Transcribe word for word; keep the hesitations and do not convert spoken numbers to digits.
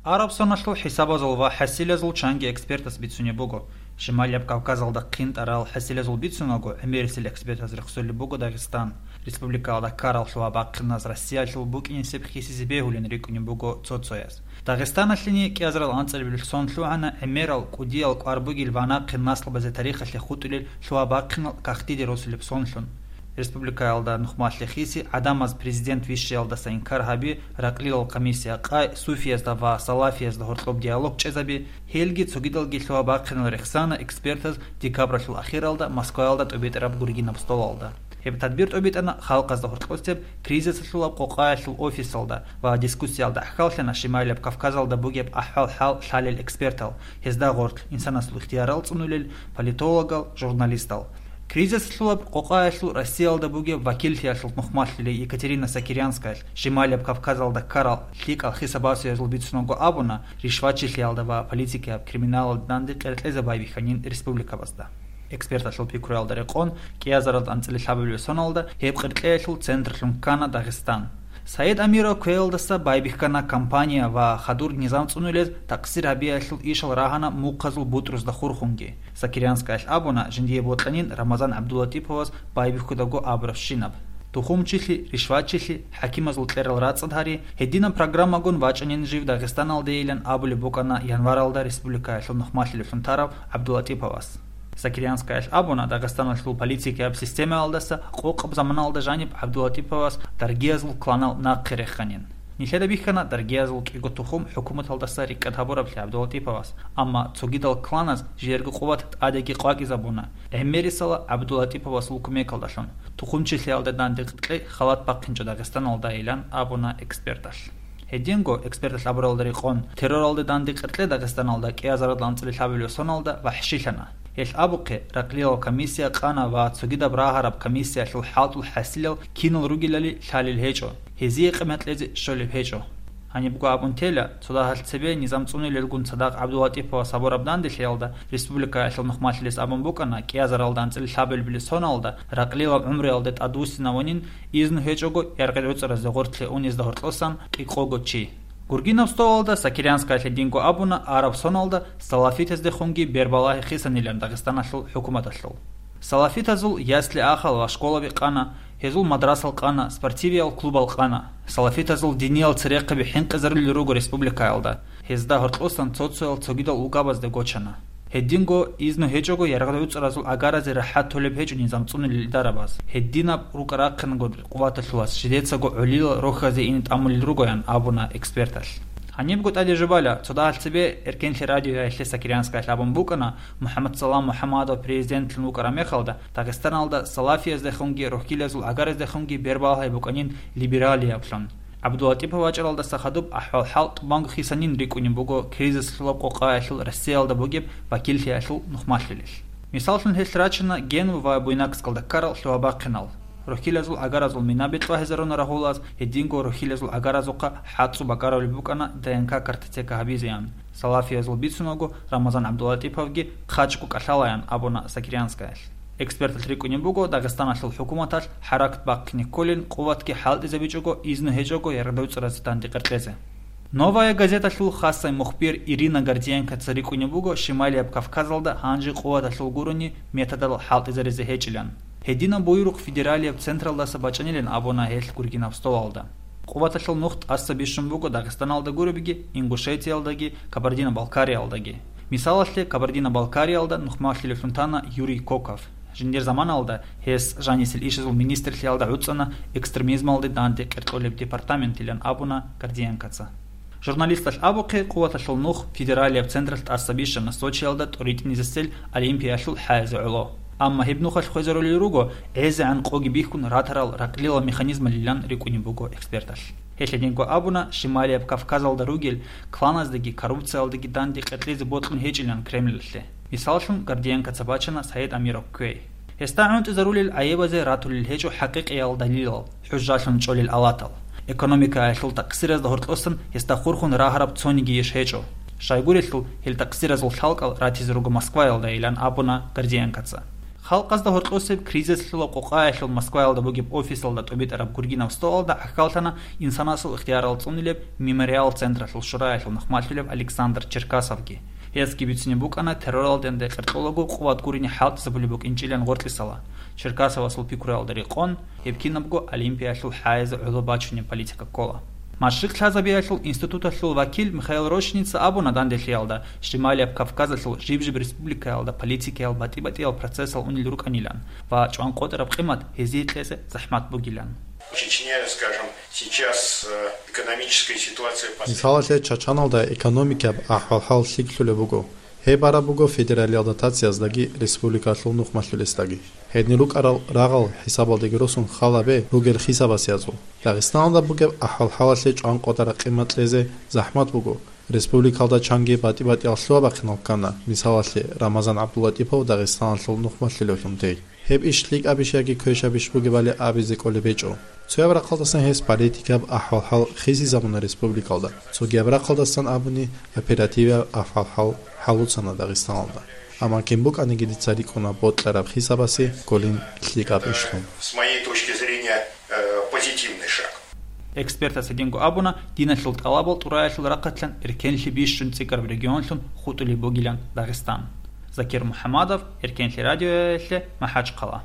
Араб соналъул хӀисабазул ва хӀасилазул чанги экспертас бицунеб буго. Шималияб Кавказалда хъинтӀарал хӀасилазул бицунаго, гӀемерисел экспертаз рехсолеб буго Дагъистан. Республикаялда ккарал лъугьа-бахъиназ Россиялъул букӀинесеб хисизе бегьулин рикӀкӀунеб буго цо-цояз. Дагъистаналъени кӀиазарал анцӀабилеб сон лъугӀана гӀемерал кӀудиял кӀвар бугел ва нахъе наслабазе тарихалъе хутӀулел лъугьа-бахъинал кагътиде росулеб сонлъун. Республикаялда нухмалъе хиси гӀадамаз президент вищиялдаса инкар гьаби, ракълилал комиссия къай, суфиязда ва салафиязда гьоркьоб диалог чӀезаби, гьелги цогидалги лъугьа-бахъинал рехсана экспертаз декабралъул ахиралда Москваялда тӀобитӀараб гургинаб столалда. Гьеб тадбир тӀобитӀана халкъазда гьоркьосеб кризисалъулаб къокъаялъул офисалда ва дискуссиялда гӀахьаллъана Шималияб Кавказалда бугеб ахӀвал-хӀал лъалел экспертал, гьезда гъорлъ инсанасул ихтиярал цӀунулел политологал, журналистал. Кризисалъулаб къокъаялъул Россиялда бугеб вакиллъиялъул нухмалъулей Екатерина Сокирянскаялъ Шималияб Кавказалда ккарал лъикӀал хисабасиязул бицунаго абуна, ришвачилъиялда ва политикияб криминалалда данде къеркьезе байбихьанин республикабазда. Эксперталъул пикруялда рекъон, кӀиазаралда анцӀила лъабабилеб соналда гьеб къеркьеялъул центрлъун ккана Дагъистан. Саид Амиров кквеялдаса байбихьана кампания ва хадур низам цӀунулез такъсир гьабиялъул ишал рагьана мухъазул бутӀрузда хурхунги. Сокирянскаялъ абуна, жиндие бокьанин Рамазан ГӀабдулатӀиповас байбихьудаго абурабщинаб. Тухумчилъи, ришвачилъи, хӀакимазул кьерал рацӀцӀад гьари, гьединаб программагун вачӀанин жив Дагъистаналдейилан абулеб букӀана январалда республикаялъул нухмалъилевлъун тарав ГӀабдулатӀиповас. Сокирянскаялъ абуна, Дагъистаналъул политикияб системаялдаса къокъаб заманалда жаниб ГӀабдулатӀиповас даргиязул кланал нахъе реханин. Нилъеда бихьана даргиязул кӀиго тухум хӀукуматалдаса рикӀкӀад гьабураблъи ГӀабдулатӀиповас, амма цогидал кланаз жиерго къуват тӀадеги къвакӀизабуна, гӀемерисела ГӀабдулатӀиповасул кумекалдалъун, тухумчилъиялда данде къеркьей халат бахъинчӀо Дагъистаналдайилан абуна эксперталъ. Гьединго, эксперталъ абуралда рекъон, терроралда данде къеркьей Дагъистаналда кӀиазаралда анцӀила лъабабилеб соналда вахӀшилъана. Гьелъ абухъе, ракълилал комиссия къана ва цогидаб рагьараб комиссиялъул хӀалтӀул хӀасилал кинал ругелали лъалел гьечӀо, гьезие къимат кьезе щолеб гьечӀо. Гьанибго абун тела, цо дагьалъ цебе низам цӀунилелгун цадахъ ГӀабдулатӀиповас гьабураб данделъиялда республикаялъул нухмалъилес абун букӀана, кӀиазаралда анцӀила лъабабилеб соналда ракълилал гӀумруялде тӀадвуссинавунин, изну гьечӀого яргъи гӀуцӀаразде гъорлъе унезда гьоркьосан кӀикъого чи. Гургинаб столалда Сокирянскаялъ гьединго абуна, араб соналда салафитаздехунги бербалагьи хисанилан Дагъистаналъул хӀукуматалъул. Салафитазул ясли-ахал ва школаби къана, гьезул мадрасал къана, спортивиял клубал къана. Салафитазул диниял церехъаби хӀинкъизарулел руго республикаялда, гьезда гьоркьосан цо-цоял цогидал улкабазде гочана. Гьединго, изну гьечӀого яргъал гӀуцӀаразул агаразе рахӀат толеб гьечӀо низам цӀунилел идарабаз. Гьединаб рукӀа-рахъинго къуваталъулас жидецаго гӀолилал рохьазе ине тӀамулел ругоян абуна эксперталъ. Гьанибго тӀаде жубала, цо дагьалъ цебе Эркенлъи радиоялъе Сокирянскаялъ абун букӀана, МухӀаммадсалам МухӀаммадов президентлъун вукӀараб мехалда, Дагъистаналда салафияздехунги рохьилазул агараздехунги бербалагьи букӀанин либералияблъун. ГӀабдулатӀипов вачӀаралдаса хадуб ахӀвал-хӀал тӀубанго хисанин рикӀкӀунеб буго кризислъулаб къокъаялъул Россиялда бугеб вакиллъиялъул нухмалъулел. Мисаллъун, гьелъ рачана Генва ва Буйнакскалда ккарал лъугьа-бахъинал. Рохьилазул агаразул мина бетӀлагьизаруна рагьулаз, гьединго рохьилазул агаразухъа хӀацӀцӀу бакӀаравулеб букӀана Д Н К картотека гьабизеян. Салафиязул бицунаго, Рамазан ГӀабдулатӀиповги хъачӀго кӀалъалаян абуна Сокирянскаялъ. Эксперталъ рикӀкӀунеб буго Дагъистаналъул хӀукуматалъ хӀаракат бахъине кколин, къуватги хӀалтӀизабичӀого, изну гьечӀого яргъдавцӀаразе данде къеркьезе. «Новая газеталъул» хасай мухбир Ирина Гордиенкоца рикӀкӀунеб буго Шималияб Кавказалда гьанже къуваталъул гурони методал хӀалтӀизаризе гьечӀилан. Гьединаб буюрухъ федералияб централдаса бачӀанилан абуна гьелъ гургинаб столалда. Къуваталъул нух тӀаса бищун буго Дагъистаналда гуребги, Ингушетиялдаги, Кабардино-Балкариялдаги. Мисалалъе, Кабардино-Балкариялда нухмалъилевлъун тана Юрий Коков. Жиндир заманалда гьес жанисел ишазул министрлъиялда гӀуцӀана, экстремизмалде данде къеркьолеб департаментилан абуна Гордиенкоца. Журналисталъ абухъе, къуваталъул нух федералияб централъ тӀаса бищана Сочиялда тӀоритӀинизесел Олимпиялъул хӀаязе гӀоло. Амма гьеб нухалъ хвезарулел руго гӀезегӀан къоги бихьун ратарал ракълилал механизмалилан рикӀкӀунеб буго эксперталъ. Гьелъ гьединго абуна, Шималияб Кавказалда ругел кланаздаги коррупциялдаги данде къеркьезе бокьун гьечӀилан Кремльалъе. Мисаллъун, Гордиенкоца бачана Саид Амиров кквей. Гьесда гӀунтӀизарулел гӀайибазе ратулел гьечӀо хӀакъикъиял далилал, хӀужжалъун чӀолел алатал. Экономикаялъул такъсиразда гьоркьосан гьесда хурхун рагьараб цониги иш гьечӀо. Щайгурелъул, гьел такъсиразул лъалкӀал ратизе руго Москваялдайилан абуна Гордиенкоца. Халкъазда гьоркьосеб кризислъула къокъаялъул Москваялда бугеб офисалда тӀубитӀараб гургинав столалда гӀахьаллъана инсанасул ихтиярал цӀунилеб Мемориал централъул шураялъул нахмалъулев Александр Черкасовги. Гьесги бицине букӀана терроралденде къеркьолаго къуват гурине хӀалтӀизабулеб букӀинчӀилан гъоркьисала. Черкасовасул пикруялда рекъон, гьеб кинабго Олимпиялъул хӀайизе гӀоло бачунеб политика ккола. Машрикъ лъазабиялъул институталъул вакил Михаил Рощица абуна данделъиялда, Шималияб Кавказалъул жиб-жиб республикаялда политикиял батӀи-батӀиял процессал унел рукӀанилан ва чӀванкъотӀараб къимат гьезие кьезе захӀмат бугилан. В Чечне, скажем, сейчас э, экономическая ситуация последних Мисалалъе, Чачаналда экономикаб ахӀвал-хӀал лъикӀлъулеб буго. Гьеб бараб буго федералиялда тацияздаги республикалъул нухмалъулесдаги. Гьедин рукӀарал рагъал хӀисабалдеги росун халабе ругел хисабасиязул. Дагъистаналда бугеб ахӀвал-хӀалалъе чӀванкъотӀараб къимат кьезе захӀмат буго. Республикалда чанги батӀи-батӀиял лъугьа-бахъинал ккана, мисалалъе, Рамазан ГӀабдуллатӀипов Дагъистаналъул нухмалъулевлъун тей. Гьеб иш лъикӀабищ яги квешабищ бугебали абизе кӀолеб гьечӀо. Цояб рахъалдасан гьес политикаб ахӀвал-хӀал хисизабуна республикалда, цогияб рахъалдасан абуни оперативаб ахӀвал-хӀал хӀалуцана Дагъистаналда. Амма кин букӀаниги дица рикӀкӀуна бокьараб хисабасе кколин лъикӀаб ишлъун. С моей точки зрения, э, позитивный шаг. Экспертас гьединго абуна, диналъул тӀалабал тӀураялъул рахъалъан эркенлъи бищун цӀикӀкӀараб регионлъун хутӀулеб бугилан Дагъистан. Закир МухӀамадов, Эркенлъи радиоялъе, МахӀачхъала.